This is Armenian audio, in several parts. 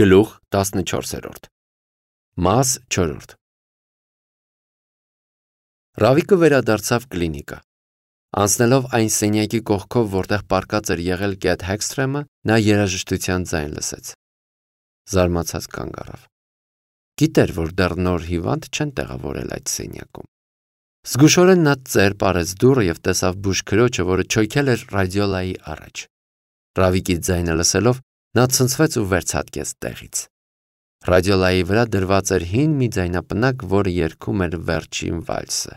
Գլուխ 14 Մաս 4 Ռավիկը վերադարձավ կլինիկա։ Անցնելով այն սենյակի կողքով, որտեղ պառկած էր եղել Կեթ Հեքսթրեմը, նա երաժշտության ձայն լսեց։ Զարմացած կանգ առավ։ Գիտեր, որ դեռ նոր հիվանդ չեն տեղավորել այդ սենյակում։ Զգուշորեն նա ծեր պարեց դուռը և տեսավ բուժքրոջը, որը չոյքել էր ռադիոլայի առաջ։ Ռավիկի ձայնը լսելով, նա ցնցվեց ու վերցատկեց տեղից։ Ռադիոլայի վրա դրված էր հին մի ձայնապնակ, որը երգում էր վերջին վալսը։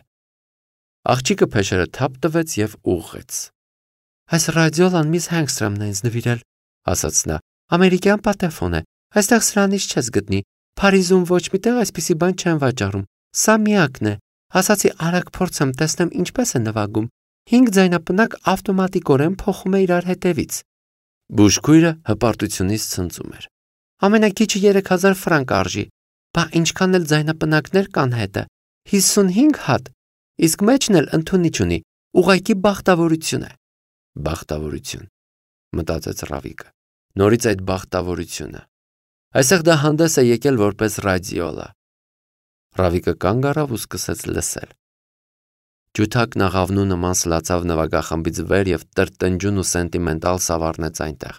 Աղջիկը փեշերը թափ տվեց և ուղղեց։ «Այս ռադիոլան միս Հենգստրոմն է ինձ նվիրել», ասաց նա։ «Ամերիկյան պատեֆոն է, այստեղ սրանից չես գտնի։ Փարիզում ոչ մի տեղ այսպիսի բան չեն վաճառում։ Սա միակն է։ Ասացի արագ փորձեմ, տեսնեմ ինչպես է նվագում։ 5 ձայնապնակ ավտոմատիկորեն փոխում է իրար հետևից»։ Բուժքույրը հպարտությունից ցնծում էր։ «Ամենակիչը 3000 ֆրանկ արժի։ Բա ինչքան էլ ձայնապնակներ կան հետը։ 55 հատ։ Իսկ մեջն էլ ընդունիչ ունի։ Ուղղակի բախտավորություն է»։ Բախտավորություն, մտածեց Ռավիկը։ Նորից այդ բախտավորությունը։ Այսեղ դա հանդես է եկել որպես ռադիոլա։ Ռավիկը կանգ առավ ու սկսեց լսել։ Ջութակն աղավնու նման սլացավ նվագախմբից վեր և տրտնջուն ու սենտիմենտալ սավառնեց այնտեղ։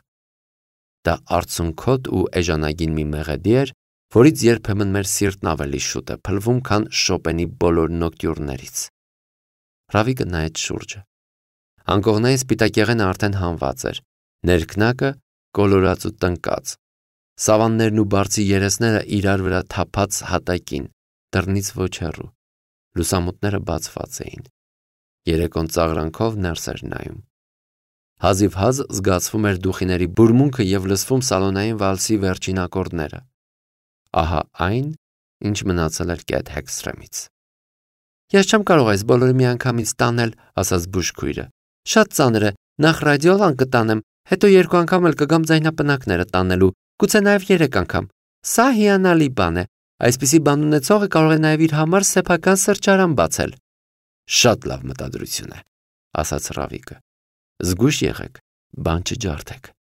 Դա արցունքոտ ու էժանագին մի մեղեդի էր, որից երբեմն մեր սիրտն ավելի շուտ է փլվում, քան Շոպենի բոլոր նոկտյուրներից։ Ռավիկը նայեց շուրջը։ Անկողնային սպիտակեղենը արդեն հանված էր, ներքնակը կոլորած ու տնկած, սավաններն ու բարձի երեսները իրար վրա թափած հատակին, դռնից ոչ հեռու, լուսամուտները բացված էին։ Երեկոն ծաղրանքով ներս էր նայում։ Հազիվհազ զգացվում էր դուխիների բուրմունքը և լսվում սալոնային վալսի վերջին ակորդները։ Ահա այն, ինչ մնացել էր Կեթ Հեքսթրեմից։ «Ես չեմ կարող այս բոլորը միանգամից տանել», ասաց բուժքույրը։ «Շատ ծանր է, նախ ռադիոլան կտանեմ, հետո 2 անգամ էլ կգամ ձայնապնակները տանելու, գուցե նաև 3 անգամ։ Սա հիանալի բան է։ Այսպիսի բան ունեցողը կարող է նաև իր համար սեփական սրճարան բացել»։ «Շատ լավ մտադրություն է», ասաց Ռավիկը։ «Զգույշ եղեք, բան չջարդեք»։